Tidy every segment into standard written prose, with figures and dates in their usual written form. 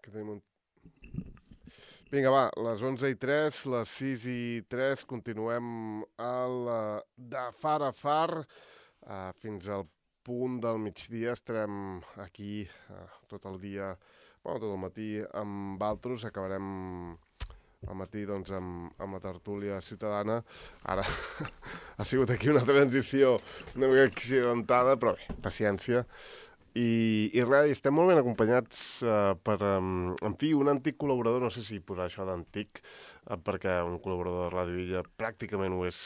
Que tenim un... Vinga, va, les 11:03, les 6:03, continuem de far a far fins al punt del migdia. Estarem aquí tot el dia, tot el matí amb altres. Acabarem al matí doncs, amb la tertúlia ciutadana. Ara ha sigut aquí una transició una mica accidentada, però bé, paciència. I res, estem molt ben acompanyats per, en fi, un antic col·laborador, no sé si posar això d'antic, perquè un col·laborador de Ràdio Illa pràcticament ho és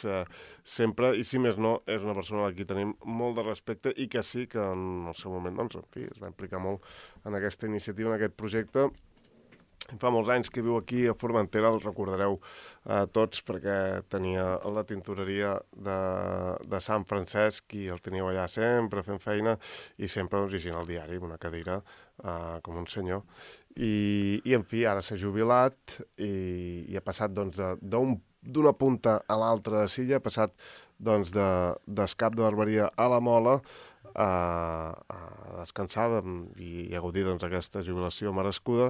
sempre, i si més no, és una persona a qui tenim molt de respecte i que sí que en el seu moment, doncs, en fi, es va implicar molt en aquesta iniciativa, en aquest projecte. Fa molts anys que viu aquí a Formentera, el recordareu tots, perquè tenia la tintoreria de Sant Francesc i el teníeu allà sempre fent feina i sempre doncs, llegint el diari amb una cadira com un senyor. I en fi, ara s'ha jubilat i ha passat doncs, d'una punta a l'altra de Silla, ha passat doncs, d'escap de barberia a la Mola, a descansar i a gaudir d'aquesta jubilació merescuda,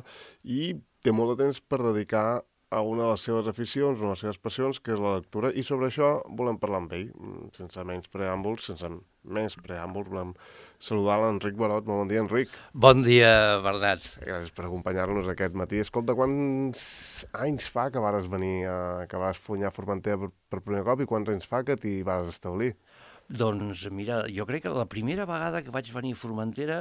i té molt de temps per dedicar a una de les seves aficions, una de les seves passions, que és la lectura, i sobre això volem parlar amb ell, sense menys preàmbuls, volem saludar l'Enric Barot. Molt bon dia, Enric. Bon dia, Bernat. Gràcies per acompanyar-nos aquest matí. Escolta, quants anys fa que vares venir, que vares funyar Formentera per primer cop, i quants anys fa que t'hi vares establir? Doncs mira, jo crec que la primera vegada que vaig venir a Formentera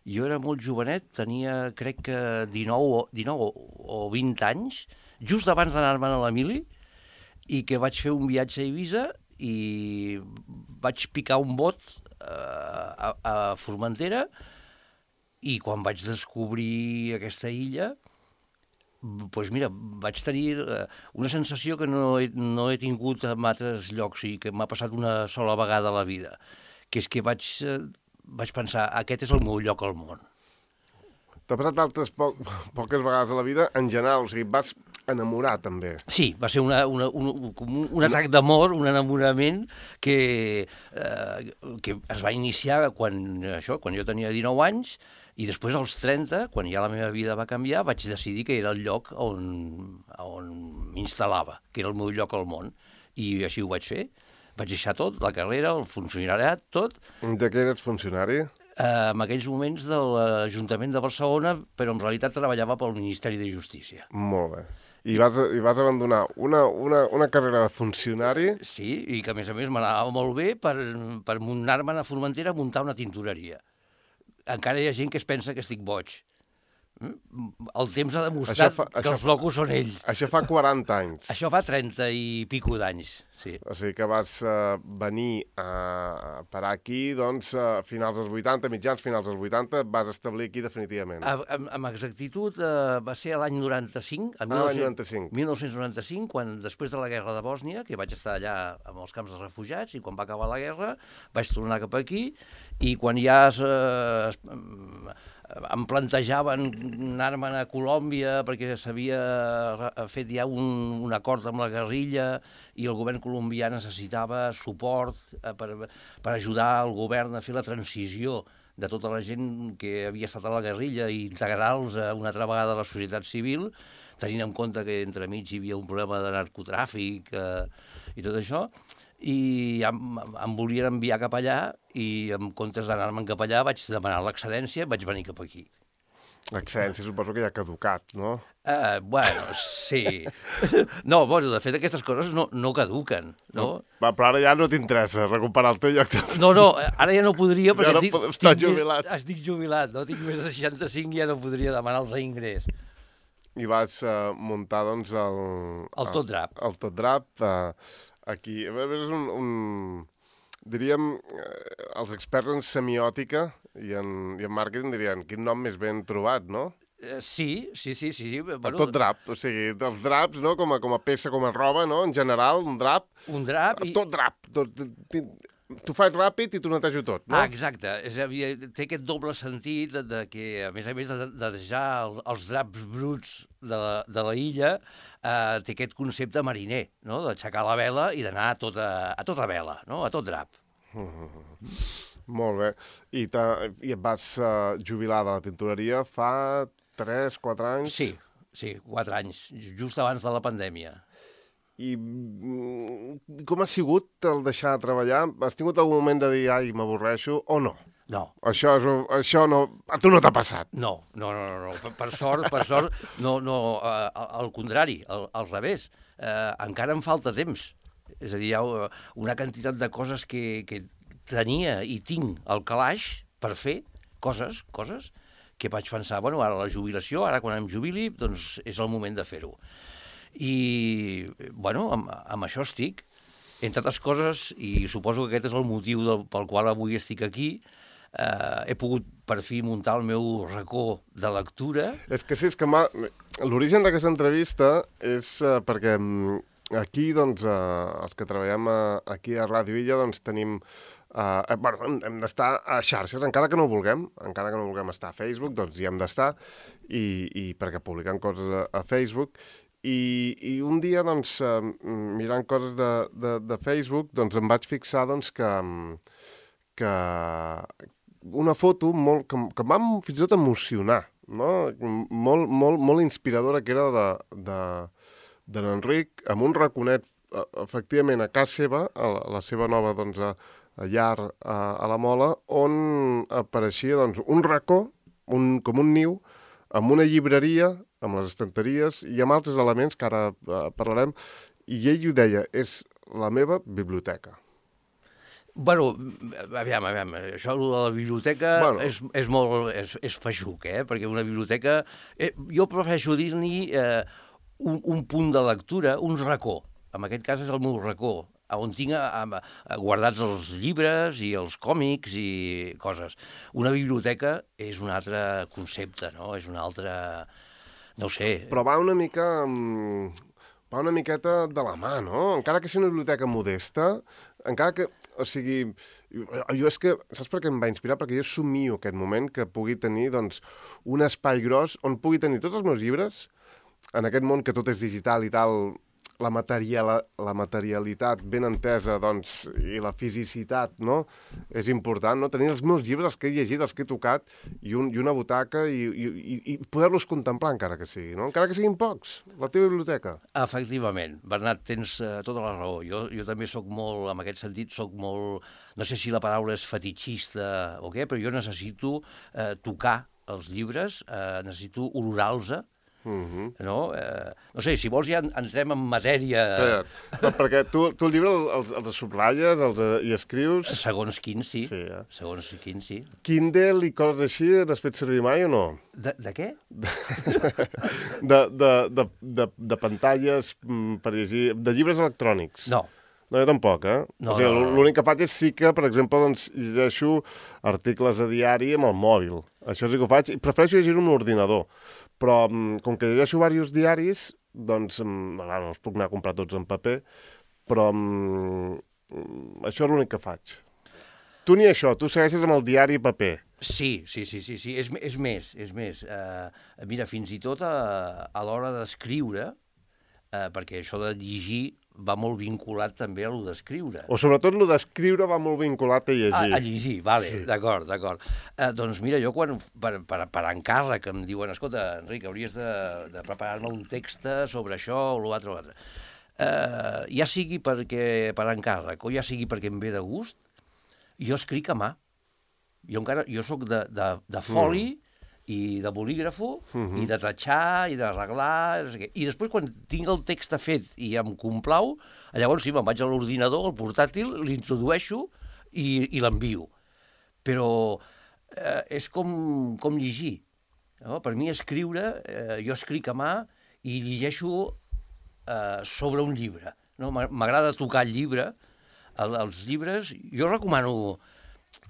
jo era molt jovenet, tenia crec que 19 o 20 anys, just abans d'anar-me'n a la mili, i que vaig fer un viatge a Eivissa i vaig picar un bot a Formentera, i quan vaig descobrir aquesta illa, doncs mira, vaig tenir una sensació que no he tingut en altres llocs i que m'ha passat una sola vegada a la vida, que és que vaig pensar, aquest és el meu lloc al món. T'ha passat altres poques vegades a la vida, en general, o sigui, vas enamorar també. Sí, va ser un atac d'amor, un enamorament que es va iniciar quan jo tenia 19 anys, i després, als 30, quan ja la meva vida va canviar, vaig decidir que era el lloc on m'instal·lava, que era el meu lloc al món. I així ho vaig fer. Vaig deixar tot, la carrera, el funcionariat, tot. De què eres funcionari? En aquells moments de l'Ajuntament de Barcelona, però en realitat treballava pel Ministeri de Justícia. Molt bé. I vas abandonar una carrera de funcionari? Sí, i que a més m'anava molt bé per anar-me'n a Formentera a muntar una tintoreria. Encara hi ha gent que es pensa que estic boig. El temps ha demostrat que els locos són ells. Això fa 40 anys. Això fa 30 i pico d'anys, sí. O sigui que vas venir a parar aquí, doncs, a finals dels 80, mitjans finals dels 80, vas establir aquí definitivament. Amb exactitud va ser l'any 95, l'any 95. 1995, quan després de la guerra de Bòsnia, que vaig estar allà amb els camps de refugiats, i quan va acabar la guerra vaig tornar cap aquí, i quan ja em plantejaven anar-me'n a Colòmbia perquè s'havia fet ja un acord amb la guerrilla i el govern colombià necessitava suport per ajudar el govern a fer la transició de tota la gent que havia estat a la guerrilla i integrar-los una altra vegada a la societat civil, tenint en compte que entremig hi havia un problema de narcotràfic i tot això, i em volien enviar cap allà, i en comptes d'anar-me'n cap allà vaig demanar l'excedència i vaig venir cap aquí. L'excedència suposo que ja ha caducat, no? Bueno, sí. No, de fet aquestes coses no caduquen, no? Va, però ara ja no t'interessa recuperar el teu lloc de... No, ara ja no podria perquè estic jubilat, no? Tinc més de 65 i ja no podria demanar el reingrés. I vas muntar, doncs, el Tot Drap. El Tot Drap, aquí. És diríem, els experts en semiòtica i en màrqueting dirien, quin nom més ben trobat, no? Sí. Bueno, Tot Drap, o sigui, dels draps, no? Com a peça, com a roba, no? En general, un drap. Un drap i... Tot drap. Tu faig ràpid i tu netejo tot, no? Exacte. Té aquest doble sentit que, a més de deixar els draps bruts de la illa, té aquest concepte mariner, no? D'aixecar la vela i d'anar a tota vela, no? A tot drap. Molt bé. I et vas jubilar de la tintoreria fa 3, 4 anys? Sí, 4 anys, just abans de la pandèmia. I com ha sigut el deixar de treballar? Has tingut algun moment de dir, ai, m'avorreixo, o no? No. Això no... A tu no t'ha passat? No. Per sort, no, al contrari, al revés. Encara em falta temps. És a dir, hi ha una quantitat de coses que tenia i tinc al calaix per fer, coses, que vaig pensar, bueno, ara la jubilació, ara quan em jubili, doncs és el moment de fer-ho. I, bueno, amb això estic. Entre altres coses, i suposo que aquest és el motiu pel qual avui estic aquí, he pogut per fi muntar el meu racó de lectura. És que sí, l'origen d'aquesta entrevista és perquè aquí, doncs, els que treballem aquí a Ràdio Illa, doncs tenim... hem d'estar a xarxes, encara que no vulguem estar a Facebook, doncs hi hem d'estar, i perquè publiquem coses a Facebook, i un dia, doncs, mirant coses de Facebook, doncs em vaig fixar, doncs, que una foto que em va fins i tot emocionar, no? Molt inspiradora, que era de l'Enric, amb un raconet, efectivament, a casa seva, a la seva nova, doncs, llar a la Mola, on apareixia, doncs, un racó, com un niu, amb una llibreria, amb les estanteries i amb altres elements que ara parlarem, i ell ho deia, és la meva biblioteca. Bueno, aviam, això de la biblioteca és feixuc, perquè una biblioteca... jo prefereixo dir-n'hi un punt de lectura, un racó. En aquest cas és el meu racó, on tinc guardats els llibres i els còmics i coses. Una biblioteca és un altre concepte, no? És un altre... no ho sé. Però va una miqueta de la mà, no? Encara que sigui una biblioteca modesta, encara que... O sigui, jo és que... Saps per què em va inspirar? Perquè jo somio aquest moment que pugui tenir, doncs, un espai gros on pugui tenir tots els meus llibres, en aquest món que tot és digital i tal... La materialitat ben entesa, doncs, i la fisicitat, no?, és important, no? Tenir els meus llibres, els que he llegit, els que he tocat, i una butaca, i poder-los contemplar, encara que sigui, no? Encara que siguin pocs, la teva biblioteca. Efectivament. Bernat, tens tota la raó. Jo també sóc molt, en aquest sentit, no sé si la paraula és fetitxista o què, però jo necessito tocar els llibres, necessito olorar-los, no? No sé, si vols ja entrem en matèria... No, perquè tu el llibre els subratlles i escrius... Segons quins, sí. Segons quins, sí. Kindle i coses així, n'has fet servir mai o no? De què? De pantalles per llegir... De llibres electrònics. No. No, jo tampoc, No, o sigui, l'únic que faig és sí que, per exemple, doncs, llegeixo articles a diari amb el mòbil. Això sí que ho faig. I prefereixo llegir-ho amb l'ordinador. Però, com que llegeixo diversos diaris, doncs, no els puc anar a comprar tots en paper, però això és l'únic que faig. Tu ni això, tu segueixes amb el diari paper. Sí. És més. Mira, fins i tot a l'hora d'escriure, perquè això de llegir va molt vinculat també a lo d'escriure. O sobretot lo d'escriure va molt vinculat a llegir. A llegir, vale, sí. D'acord. Doncs mira, jo quan per encàrrec em diuen, escolta, Enric, hauries de preparar-me un text sobre això o l'altre. Ja sigui perquè per encàrrec o ja sigui perquè em ve de gust, jo escric a mà. Jo soc de foli i de bolígrafo, i de tatxar, i d'arreglar, no sé què. I després, quan tinc el text fet i em complau, llavors sí, me'n vaig a l'ordinador, al portàtil, l'introdueixo i l'envio. Però és com llegir. No? Per mi escriure, jo escric a mà i llegeixo sobre un llibre. No? M'agrada tocar el llibre. Els llibres, jo recomano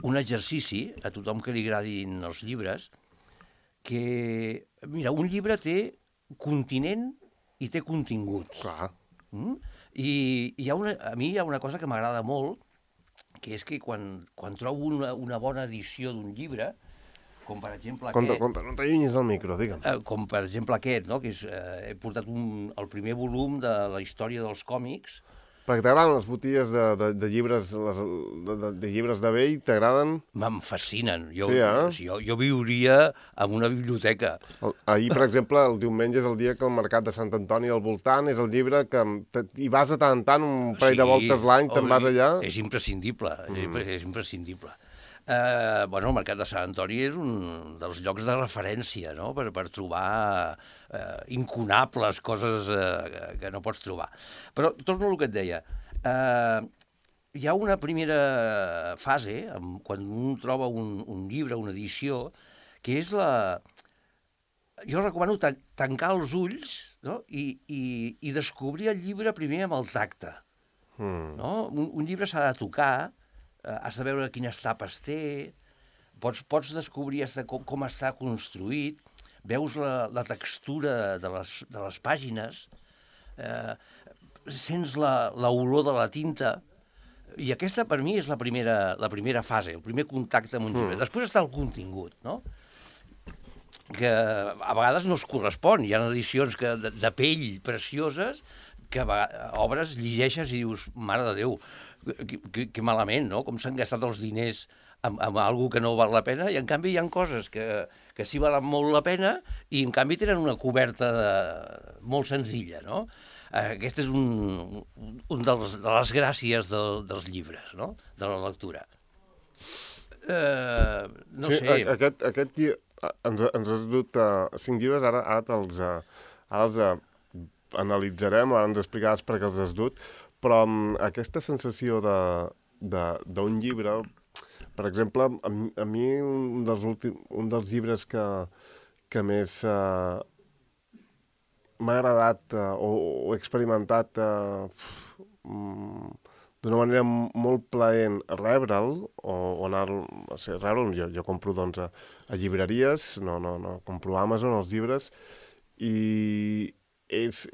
un exercici a tothom que li agradin els llibres, que, mira, un llibre té continent i té contingut. Clar. I a mi hi ha una cosa que m'agrada molt, que és que quan trobo una bona edició d'un llibre, com per exemple aquest... No t'allunyis del micro, digue'm. Com per exemple aquest, no? Que he portat el primer volum de la història dels còmics. Perquè t'agraden les botilles de llibres, de llibres de vell, t'agraden? Em fascinen. Jo viuria en una biblioteca. Ahir, per exemple, el diumenge és el dia que el Mercat de Sant Antoni al voltant és el llibre que hi vas a tant en tant, un parell de voltes l'any, te'n vas allà. És imprescindible, és imprescindible. El Mercat de Sant Antoni és un dels llocs de referència, no?, per trobar incunables coses que no pots trobar. Però torno al que et deia. Hi ha una primera fase, quan un troba un llibre, una edició, que és Jo recomano tancar els ulls, no?, i descobrir el llibre primer amb el tacte. No? Un llibre s'ha de tocar, has de veure quines tapes té, pots descobrir com està construït, veus la textura de les pàgines, sents l'olor de la tinta, i aquesta per mi és la primera fase, el primer contacte amb un llibre. Després està el contingut, no?, que a vegades no es correspon. Hi ha edicions de pell precioses que obres, llegeixes i dius, mare de Déu, que malament, no?, com s'han gastat els diners amb alguna que no val la pena, i en canvi hi ha coses que sí valen molt la pena i en canvi tenen una coberta molt senzilla, no? Aquesta és de les gràcies dels llibres, no?, de la lectura. No sé... Aquest ens has dut 5 llibres, ara els analitzarem, ara ens explicaràs per què els has dut, però aquesta sensació d'un llibre, per exemple, a mi un dels llibres que més m'ha agradat o he experimentat d'una manera molt plaent rebre'l, o anar-lo... Rebre'l, jo compro doncs a llibreries, no compro a Amazon els llibres, i és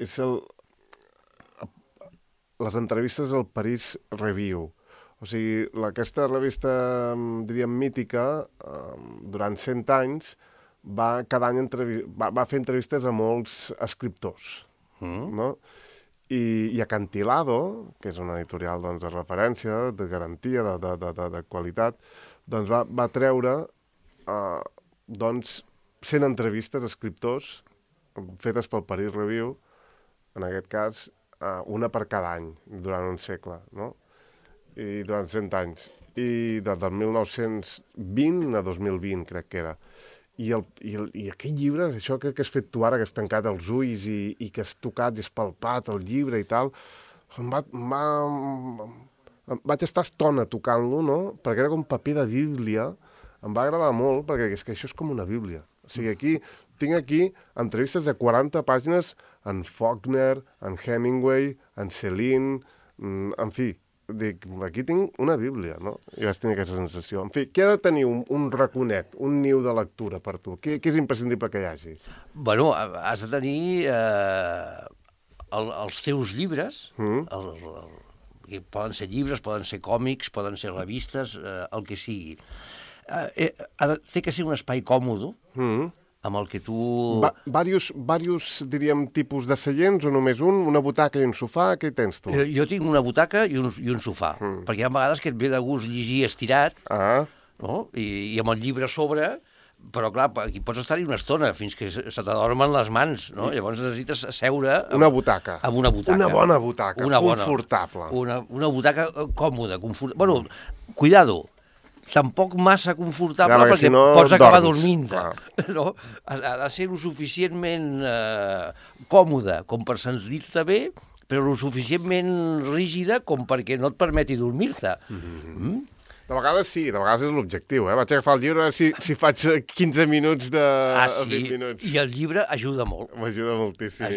les entrevistes al Paris Review. O sigui, aquesta revista, diríem, mítica, durant 100 anys, cada any va fer entrevistes a molts escriptors, no? I Acantilado, que és una editorial de referència, de garantia, de qualitat, doncs va treure 100 entrevistes a escriptors fetes pel Paris Review, en aquest cas, una per cada any, durant un segle, no? I durant 100 anys. I del 1920 a 2020, crec que era. I aquell llibre, això que has fet tu ara, que has tancat els ulls i que has tocat i has palpat el llibre i tal, vaig estar estona tocant-lo, no?, perquè era com paper de Bíblia. Em va agradar molt, perquè és que això és com una Bíblia. O sigui, tinc aquí entrevistes de 40 pàgines en Faulkner, en Hemingway, en Celine, en fi, aquí tinc una Bíblia, no? I vaig tenir aquesta sensació. En fi, què ha de tenir un raconet, un niu de lectura per tu? Què és imprescindible que hi hagi? Bueno, has de tenir els teus llibres, poden ser llibres, poden ser còmics, poden ser revistes, el que sigui. Té que ser un espai còmode, amb el que tu... Varios, diríem, tipus de seients o només un? Una butaca i un sofà? Què tens tu? Jo tinc una butaca i un sofà, perquè hi ha vegades que et ve de gust llegir estirat, no?, i amb el llibre a sobre, però clar, aquí pots estar-hi una estona fins que se t'adormen les mans, no? Llavors necessites seure... Una butaca. Amb una butaca. Una bona butaca, confortable. Una butaca còmoda, confortable. Bueno, cuidado, tampoc massa confortable, perquè pots acabar dormint. No? Ha de ser lo suficientment còmode com per sentir-te bé, però lo suficientment rígida com perquè no et permeti dormir-te. De vegades sí, de vegades és l'objectiu. Vaig agafar el llibre, si faig 15 minuts de 20 minuts. I el llibre ajuda molt. M'ajuda moltíssim.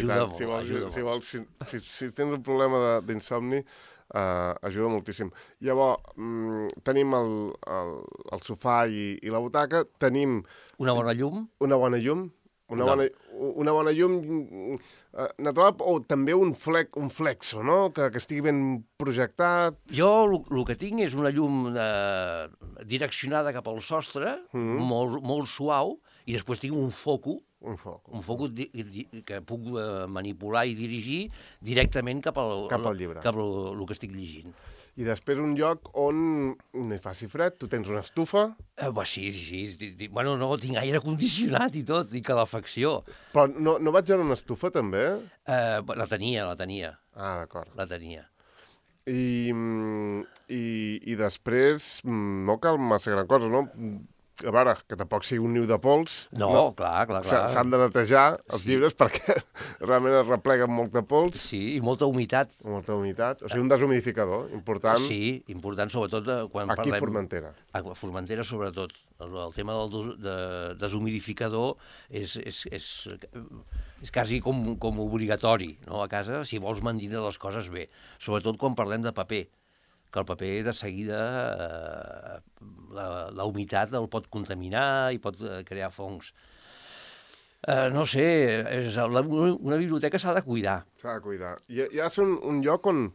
Si tens un problema d'insomni, ajuda moltíssim. Llavors, tenim el sofà i la butaca, tenim... Una bona llum. Una bona llum natural, o també un flexo, no?, que estigui ben projectat. Jo el que tinc és una llum direccionada cap al sostre, molt suau, i després tinc un foco Un foc. Un focus que puc manipular i dirigir directament cap al llibre. Cap al que estic llegint. I després un lloc on no hi faci fred, tu tens una estufa... Sí. Bueno, no, tinc aire condicionat i tot, i calefacció. Però no vaig veure una estufa, també? La tenia. Ah, d'acord. La tenia. I després no cal massa gran cosa, no? A veure, que tampoc sigui un niu de pols. No, clar. S'han de netejar els llibres perquè realment es repleguen molta pols. Sí, i molta humitat. Molta humitat. O sigui, un deshumidificador, important. Sí, important sobretot quan parlem... Aquí a Formentera. A Formentera, sobretot. El tema del deshumidificador és quasi com obligatori, no? A casa, si vols mantenir les coses bé. Sobretot quan parlem de paper, que el paper de seguida la humitat el pot contaminar i pot crear fongs. No sé, una biblioteca s'ha de cuidar. S'ha de cuidar. I ha de ser un lloc on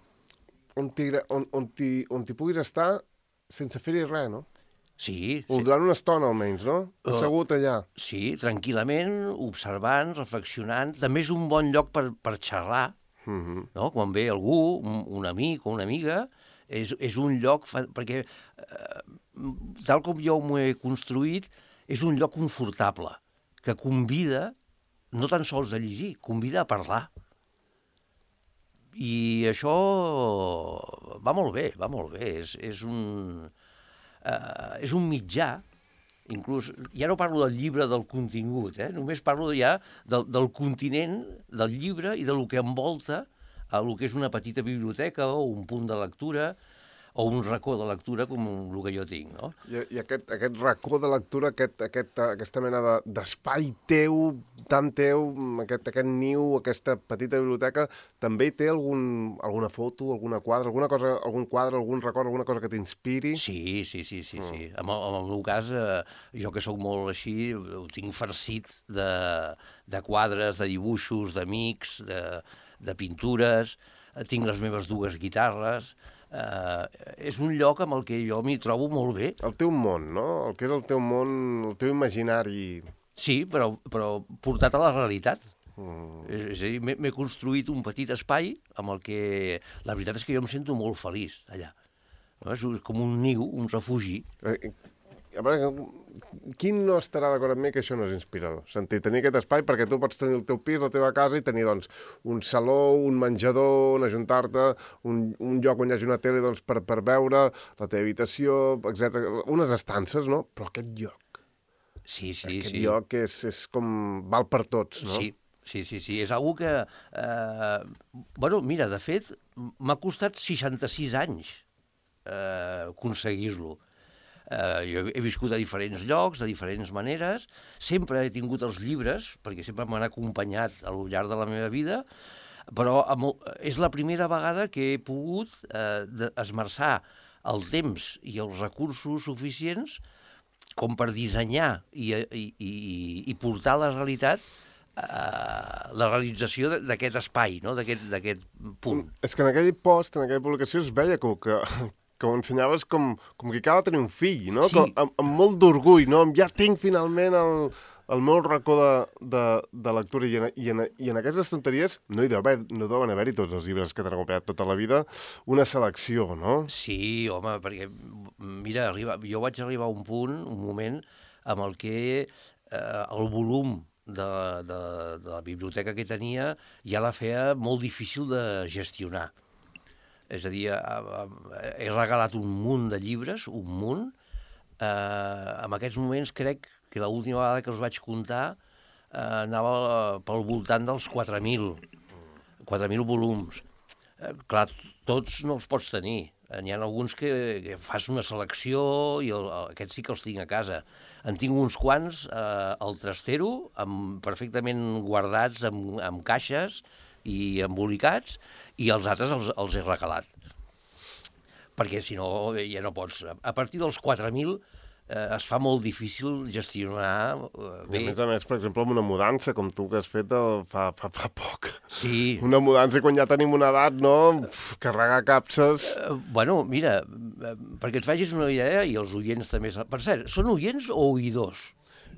t'hi puguis estar sense fer-hi res, no? Sí. Durant una estona, almenys, no? Assegut allà. Sí, tranquil·lament, observant, reflexionant. També és un bon lloc per xerrar, no? Quan ve algú, un amic o una amiga, és un lloc, perquè tal com jo m'ho he construït, és un lloc confortable, que convida no tan sols a llegir, convida a parlar. I això va molt bé. És un mitjà, inclús, ja no parlo del llibre del contingut, només parlo ja del continent del llibre i del que envolta el que és una petita biblioteca o un punt de lectura o un racó de lectura com el que jo tinc, no? I aquest racó de lectura, aquesta mena d'espai teu, tan teu, aquest niu, aquesta petita biblioteca, també té alguna foto, alguna quadre, algun quadre, algun record, alguna cosa que t'inspiri? Sí. En el meu cas, jo que sóc molt així, ho tinc farcit de quadres, de dibuixos, d'amics, de pintures, tinc les meves dues guitarres. És un lloc amb el que jo m'hi trobo molt bé. El teu món, no? El que és el teu món, el teu imaginari... Sí, però portat a la realitat. És a dir, m'he construït un petit espai amb el que... La veritat és que jo em sento molt feliç allà. No? És com un niu, un refugi. A veure, qui no estarà d'acord amb mi que això no és inspirador? Tenir aquest espai perquè tu pots tenir el teu pis, la teva casa i tenir doncs, un saló, un menjador, on ajuntar-te, un lloc on hi hagi una tele doncs, per veure, la teva habitació, etc. Unes estances, no? Però aquest lloc. Sí. Aquest lloc és com... val per tots, no? Sí. És algo que... Mira, de fet, m'ha costat 66 anys aconseguir-lo. Jo he viscut a diferents llocs, de diferents maneres, sempre he tingut els llibres, perquè sempre m'han acompanyat al llarg de la meva vida, però és la primera vegada que he pogut esmerçar el temps i els recursos suficients com per dissenyar i portar a la realitat la realització d'aquest espai, no? D'aquest punt. És que en aquell post, en aquella publicació, es veia que ho ensenyaves com qui acaba de tenir un fill, no? Sí. Amb molt d'orgull, no? Ja tinc finalment el meu racó de lectura i en aquestes estanteries no deuen haver-hi tots els llibres que t'han acompanyat tota la vida, una selecció, no? Sí, home, perquè, mira, jo vaig arribar a un moment amb el que el volum de la biblioteca que tenia ja la feia molt difícil de gestionar. És a dir, he regalat un munt de llibres, un munt. En aquests moments crec que l'última vegada que els vaig comptar anava pel voltant dels 4.000 volums. Clar, tots no els pots tenir. N'hi ha alguns que fas una selecció i aquests sí que els tinc a casa. En tinc uns quants al trastero, perfectament guardats amb caixes i embolicats, i els altres els he regalat. Perquè, si no, ja no pots. A partir dels 4.000 es fa molt difícil gestionar bé. A més, per exemple, amb una mudança, com tu que has fet fa poc. Sí. Una mudança quan ja tenim una edat, no? Carregar capses... Mira, perquè et facis una idea, i els oients també... Per cert, són oients o oïdors?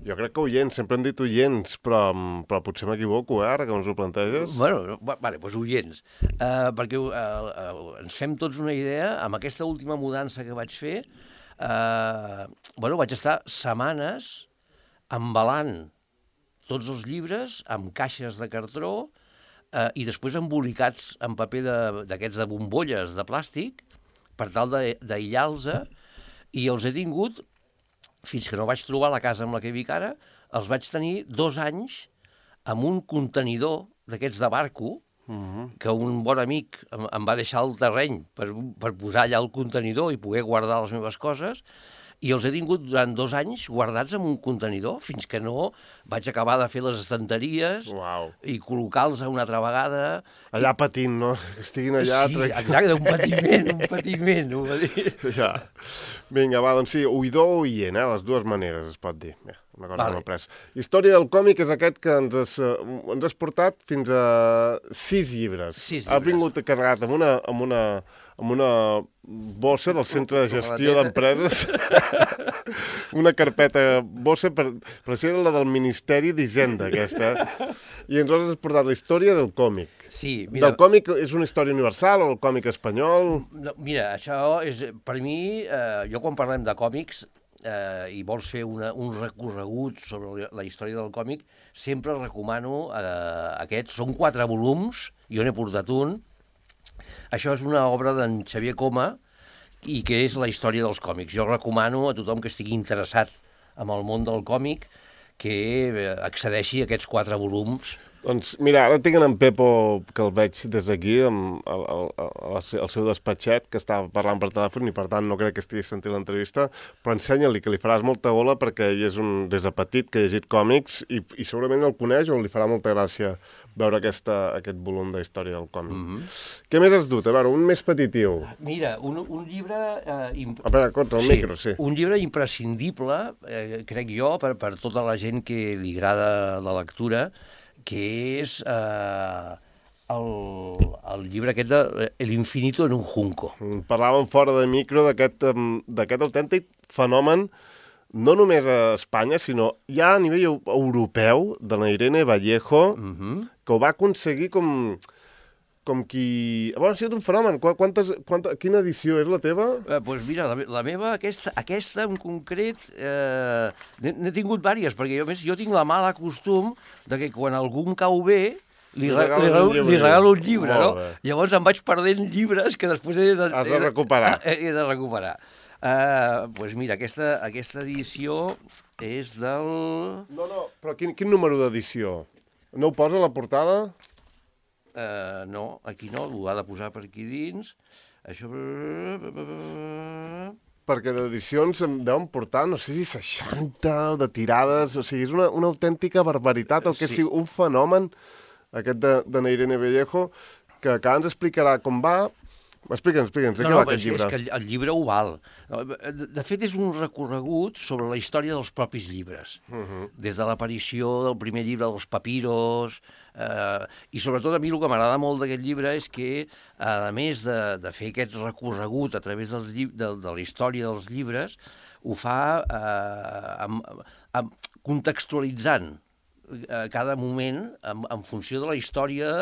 Jo crec que oients, sempre hem dit oients, però potser m'equivoco, ara que ens ho planteges. Bueno, vale, doncs oients. Perquè ens fem tots una idea, amb aquesta última mudança que vaig fer, vaig estar setmanes embalant tots els llibres amb caixes de cartró i després embolicats en paper d'aquests de bombolles de plàstic per tal d'aïllar-los, i els he tingut fins que no vaig trobar la casa amb la que vic ara, els vaig tenir 2 anys amb un contenidor d'aquests de barco, que un bon amic em va deixar al terreny per posar allà el contenidor i poder guardar les meves coses, i els he tingut durant 2 anys guardats en un contenidor, fins que no vaig acabar de fer les estanteries i col·locar-los una altra vegada. Allà patint, no? Que estiguin allà... Sí, exacte, un patiment, ho va dir. Ja. Vinga, va, doncs sí, oïdor o oient, les dues maneres es pot dir. Una cosa que m'ha après. Història del còmic és aquest que ens has portat fins a 6 llibres. Ha vingut carregat amb una bossa del Centre de Gestió d'Empreses, una carpeta bossa, per ser la del Ministeri d'Hisenda, aquesta. I ens has portat la història del còmic. Sí, mira... Del còmic és una història universal o el còmic espanyol? No, mira, això és, per mi, jo quan parlem de còmics i vols fer un recorregut sobre la història del còmic, sempre recomano aquests. Són 4 volums, jo n'he portat un. Això és una obra d'en Xavier Coma i que és la història dels còmics. Jo recomano a tothom que estigui interessat en el món del còmic que accedeixi a aquests 4 volums. Doncs mira, ara tinc en Pepo, que el veig des d'aquí, al seu despatxet, que estava parlant per telèfon i per tant no crec que estigui sentint l'entrevista, però ensenya-li que li faràs molta gola perquè ell és des de petit que ha llegit còmics i segurament el coneix o li farà molta gràcia veure aquest volum de història del còmic. Què més has dut? A veure, un més petitiu. Mira, un llibre... Espera, contra el micro, sí. Un llibre imprescindible, crec jo, per tota la gent que li agrada la lectura, que és el llibre aquest de El infinito en un junco. Parlàvem fora de micro d'aquest autèntic fenomen, no només a Espanya, sinó ja a nivell europeu, de la Irene Vallejo, que ho va aconseguir com qui... Bueno, ha sigut un fenomen. Quina edició és la teva? Doncs mira, la meva, aquesta en concret, n'he tingut diverses, perquè jo tinc la mala costum de que quan algú em cau bé, li regalo un llibre, no? Llavors em vaig perdent llibres que després has de recuperar. He de recuperar. Doncs mira, aquesta edició és del... No, però quin número d'edició? No ho posa a la portada? No, aquí no, ho ha de posar per aquí dins. Això... Perquè d'edicions em deuen portar, no sé si 60 de tirades, o sigui, és una autèntica barbaritat, el que és un fenomen, aquest de Irene Vallejo, que ens explicarà com va. Explica'ns, de què va aquest llibre? És que el llibre ho val. De fet, és un recorregut sobre la història dels propis llibres. Des de l'aparició del primer llibre dels papiros, i sobretot a mi el que m'agrada molt d'aquest llibre és que, a més de fer aquest recorregut a través de la història dels llibres, ho fa contextualitzant cada moment en funció de la història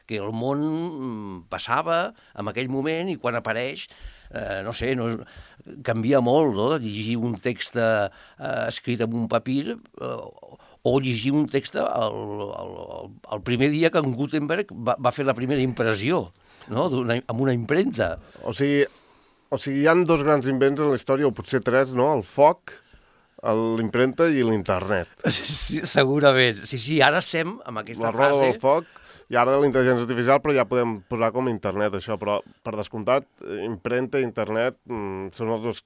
que el món passava en aquell moment, i quan apareix, no sé, canvia molt, no?, de llegir un text escrit en un papir o llegir un text el primer dia que en Gutenberg va fer la primera impressió, no?, amb una impremta. O sigui, hi ha 2 grans invents en la història, o potser 3, no?, el foc, l'impremta i l'internet. Sí, segurament. Sí, ara estem amb aquesta frase... La roda del foc i ara l'intel·ligència artificial, però ja podem posar com internet, això. Però, per descomptat, impremta i internet són els 2...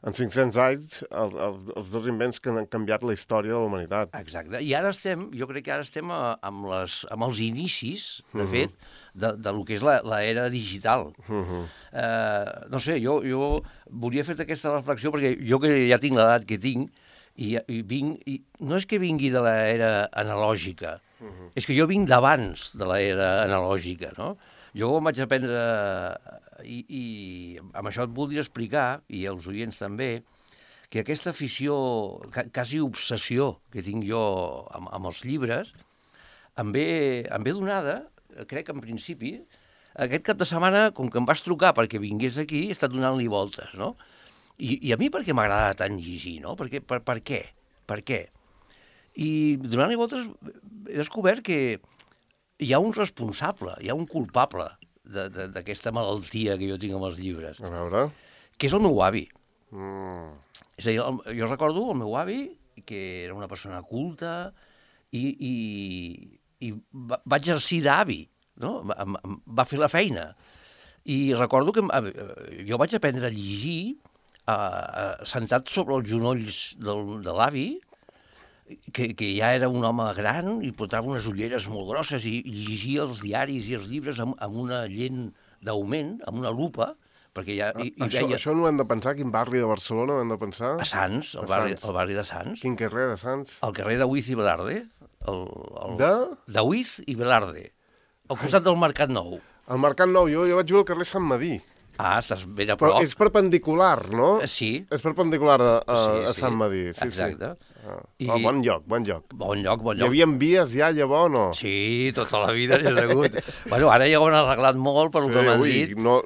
En 500 anys, els 2 invents que han canviat la història de la humanitat. Exacte. I ara jo crec que ara estem amb els inicis, de fet, de lo que és l'era digital. No sé, jo volia fer aquesta reflexió perquè jo que ja tinc l'edat que tinc i no és que vingui de l'era analògica, és que jo vinc d'abans de l'era analògica, no? Jo em vaig aprendre, i amb això et voldria explicar, i els oients també, que aquesta afició, quasi obsessió que tinc jo amb els llibres, em ve donada, crec en principi, aquest cap de setmana, com que em vas trucar perquè vingués aquí, he estat donant-li voltes, no? I a mi per què m'agrada tant llegir, no? Per què? Per què? I donant-li voltes he descobert que hi ha un responsable, hi ha un culpable d'aquesta malaltia que jo tinc amb els llibres. A veure... Que és el meu avi. És a dir, jo recordo el meu avi, que era una persona culta, i va exercir d'avi, no? Va fer la feina. I recordo que jo vaig aprendre a llegir sentat sobre els genolls de l'avi, que ja era un home gran i portava unes ulleres molt grosses i llegia els diaris i els llibres amb una lent d'augment, amb una lupa, perquè ja veia... Això no ho hem de pensar? Quin barri de Barcelona ho hem de pensar? A Sants, el barri de Sants. Quin carrer de Sants? El carrer Daoiz i Velarde. De? Daoiz i Velarde, al costat del Mercat Nou. El Mercat Nou, jo vaig viure al carrer Sant Madí. Ah, estàs ben a prop. Però és perpendicular, no? Sí. És perpendicular a Sant Madí, sí. Exacte. Sí. Bon lloc. Bon lloc. Hi havia vies ja, llavors, no? Sí, tota la vida n'hi ha hagut. Bueno, ara ja ho han arreglat molt per el que m'han dit. No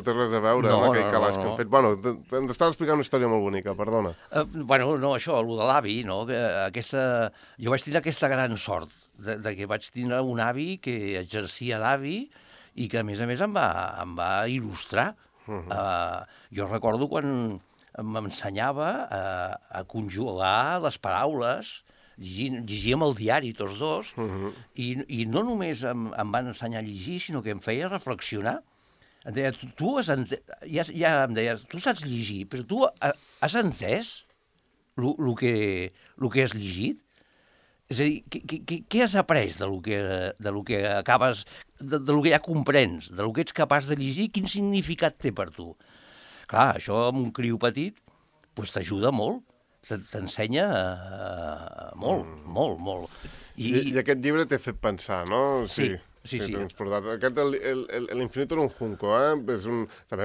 té res a veure amb aquell calaix que han fet. Bueno, hem d'estar explicant una història molt bonica, perdona. Bueno, no, això, el de l'avi, no? Jo vaig tenir aquesta gran sort de que vaig tenir un avi que exercia d'avi i que, a més, em va il·lustrar. Jo recordo quan m'ensenyava a conjugar les paraules, llegíem el diari tots dos, i no només em van ensenyar a llegir, sinó que em feia reflexionar. Em deia, ja em deia, tu saps llegir, però tu has entès el que has llegit? És a dir, què has après de lo que acabes, de lo que ja comprens, de lo que ets capaç de llegir, quin significat té per tu? Clar, això amb un criu petit doncs t'ajuda molt, t'ensenya molt. I aquest llibre t'ha fet pensar, no? Sí. Aquest, l'Infinito en un junco, també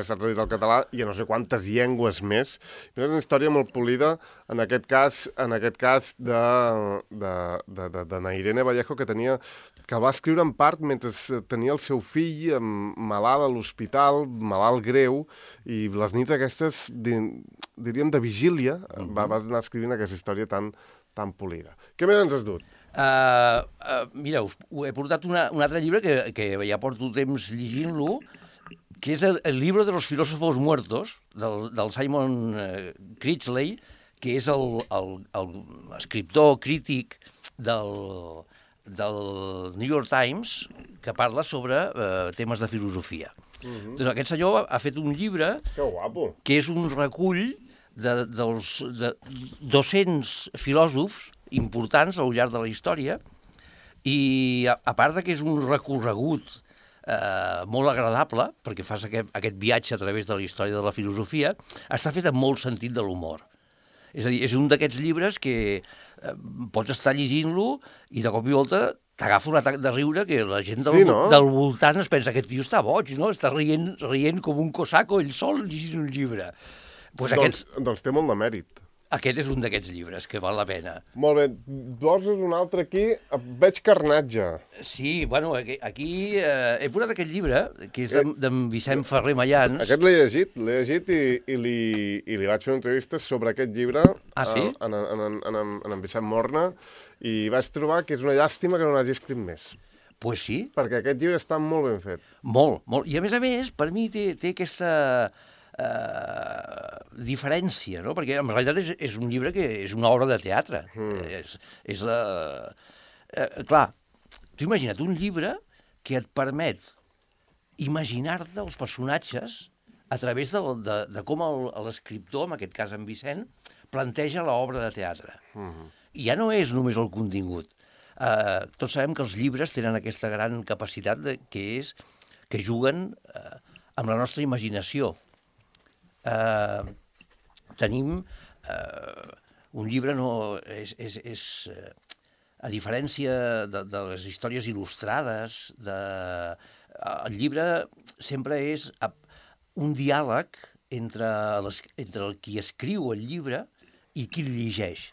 està traduït al català i a no sé quantes llengües més. És una història molt polida, en aquest cas de Nairene Vallejo, que va escriure en part mentre tenia el seu fill malalt a l'hospital, malalt greu, i les nits aquestes, diríem, de vigília, va anar escrivint aquesta història tan polida. Què més ens has dut? Mireu, he portat un altre llibre que ja porto temps llegint-lo, que és el Libro de los filósofos muertos, del Simon Critchley, que és l'escriptor crític del New York Times, que parla sobre temes de filosofia. Doncs aquest senyor ha fet un llibre que és un recull dels 200 filòsofs importants al llarg de la història, i a part que és un recorregut molt agradable, perquè fas aquest viatge a través de la història de la filosofia, està fet amb molt sentit de l'humor. És a dir, és un d'aquests llibres que pots estar llegint-lo i de cop i volta t'agafa un atac de riure que la gent del voltant es pensa que aquest tio està boig, no? Està rient com un cosaco ell sol llegint un llibre. Doncs té molt de mèrit. Aquest és un d'aquests llibres que val la pena. Molt bé. Poses un altre aquí. Veig Carnatge. Sí, bueno, aquí he posat aquest llibre, que és d'en Vicent Ferrer Mayans. Aquest l'he llegit i li vaig fer una entrevista sobre aquest llibre en Vicent Morna, i vaig trobar que és una llàstima que no n'hagi escrit més. Pues sí. Perquè aquest llibre està molt ben fet. Molt. I a més, per mi té aquesta diferència, no? Perquè en realitat és un llibre que és una obra de teatre. Clar, tu imagina't un llibre que et permet imaginar-te els personatges a través de com l'escriptor, en aquest cas en Vicent, planteja l'obra de teatre. I ja no és només el contingut. Tots sabem que els llibres tenen aquesta gran capacitat que és que juguen amb la nostra imaginació. Tenim un llibre, a diferència de les històries il·lustrades, el llibre sempre és un diàleg entre el qui escriu el llibre i qui el llegeix?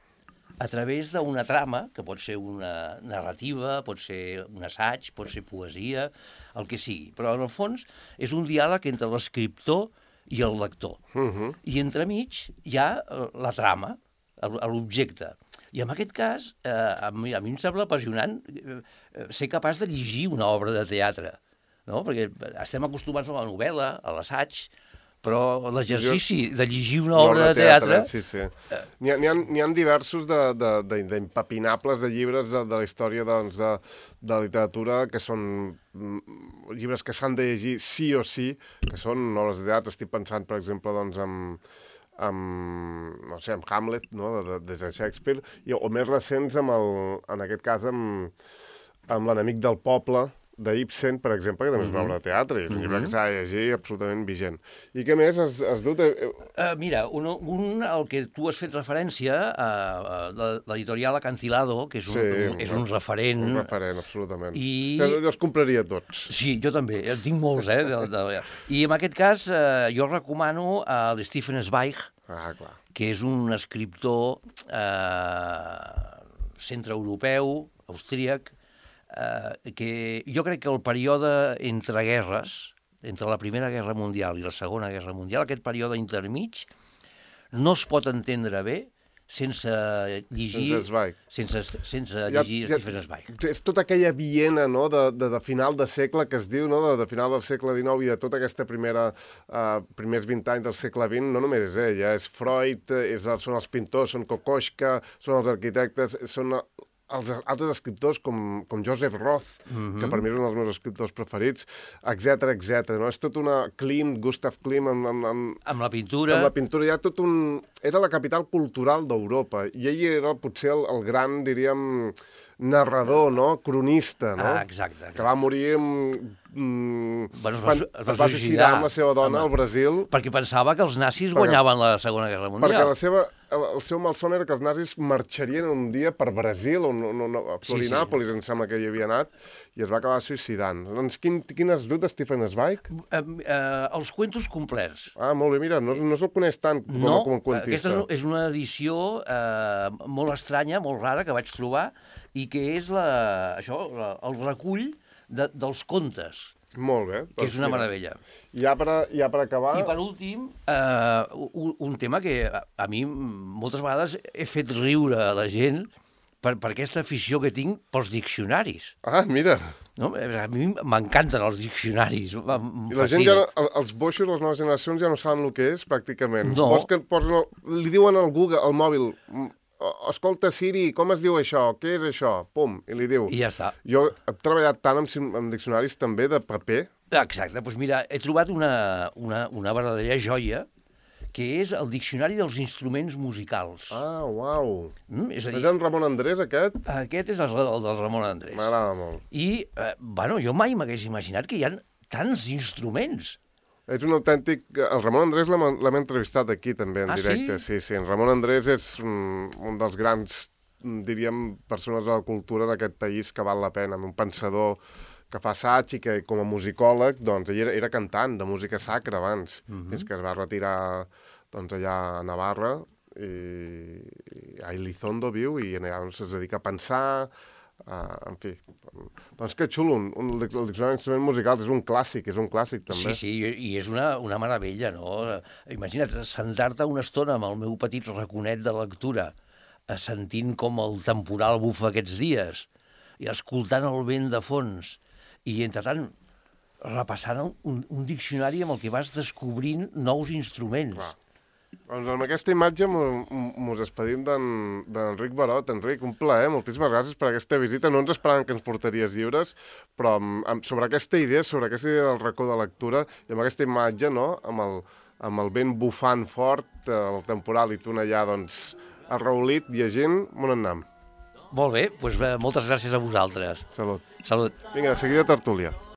A través d'una trama, que pot ser una narrativa, pot ser un assaig, pot ser poesia, el que sigui. Però, en el fons, és un diàleg entre l'escriptor i el lector. I entremig hi ha la trama, l'objecte. I en aquest cas, a mi em sembla apassionant ser capaç de llegir una obra de teatre, no? Perquè estem acostumats a la novel·la, a l'assaig, però l'exercici de llegir una obra de teatre... Sí. N'hi ha diversos d'impapinables de llibres de la història doncs, de la literatura que són llibres que s'han de llegir sí o sí, que són obres de teatre. Estic pensant, per exemple, doncs, no sé, amb Hamlet, no? Des de Shakespeare, o més recents, en aquest cas, amb l'enemic del poble, d'Ibsen, per exemple, que també és una obra de teatre, i és un llibre que s'ha de llegir absolutament vigent. I què més has dut? Mira, el que tu has fet referència, l'editorial Acantilado, que és un referent... Un referent, absolutament. Jo els compraria tots. Sí, jo també, en tinc molts, I en aquest cas, jo recomano l'Stefan Zweig, que és un escriptor centreeuropeu, austríac, que jo crec que el període entre guerres, entre la Primera Guerra Mundial i la Segona Guerra Mundial, aquest període intermig no es pot entendre bé sense llegir... Sense llegir Stefan Zweig. És tota aquella Viena, no?, de final de segle, que es diu, no?, de final del segle XIX i de tota aquesta primers 20 anys del segle XX, no només és ella, és Freud, són els pintors, són Kokoschka, són els arquitectes, són els altres escriptors com Joseph Roth, que per mi és un dels meus escriptors preferits, etc. No? És tot una Gustav Klimt amb la pintura. Amb la pintura, hi ha tot un... Era la capital cultural d'Europa, i ell era potser el gran, diríem, narrador, no?, cronista, no? Exacte. Que va morir es va suïcidar amb la seva dona al Brasil. Perquè pensava que els nazis guanyaven la Segona Guerra Mundial. Perquè el seu malson era que els nazis marxarien un dia per Brasil, a Florinàpolis, em sembla que hi havia anat, i es va acabar suïcidant. Doncs quin has dut de Stefan Zweig? Els cuentos complets. Molt bé, mira, no se'l coneix tant com un cuentista. Aquesta és una edició molt estranya, molt rara, que vaig trobar, i que és el recull dels contes. Molt bé. Que és una meravella. Ja per acabar... I per últim, un tema que a mi moltes vegades he fet riure a la gent per aquesta afició que tinc pels diccionaris. Mira! No? A mi m'encanten els diccionaris. I la gent els boixos, les noves generacions, ja no saben el que és, pràcticament. No. Li diuen al Google, al mòbil, escolta, Siri, com es diu això? Què és això? Pum, i li diu. I ja està. Jo he treballat tant amb diccionaris també de paper. Exacte, doncs mira, he trobat una verdadera joia, que és el Diccionari dels Instruments Musicals. Uau! És a dir, és en Ramon Andrés, aquest? Aquest és el del Ramon Andrés. M'agrada molt. I, jo mai m'hagués imaginat que hi ha tants instruments. És un autèntic... El Ramon Andrés l'hem entrevistat aquí, també, en directe. Sí? Sí. En Ramon Andrés és un dels grans, diríem, persones de la cultura d'aquest país que val la pena. Un pensador que fa assaig i que, com a musicòleg, doncs, ell era cantant de música sacra abans, fins que es va retirar doncs, allà a Navarra, i a Elizondo viu, i allà es dedica a pensar... en fi, doncs que xulo, el diccionari d'instruments musicals és un clàssic també. Sí, i és una meravella, no? Imagina't, sentar-te una estona amb el meu petit raconet de lectura, sentint com el temporal bufa aquests dies, i escoltant el vent de fons, i entretant repassant un diccionari amb el que vas descobrint nous instruments. Clar. Doncs amb aquesta imatge mos despedim d'Enric Barot. Enric, un plaer, moltíssimes gràcies per aquesta visita. No ens esperàvem que ens portaries llibres, però sobre aquesta idea del racó de lectura, i amb aquesta imatge, no?, amb el vent bufant fort, el temporal, i tu allà, doncs, arraulit, llegint, on anem? Molt bé, doncs moltes gràcies a vosaltres. Salut. Salut. Vinga, de seguida tertúlia.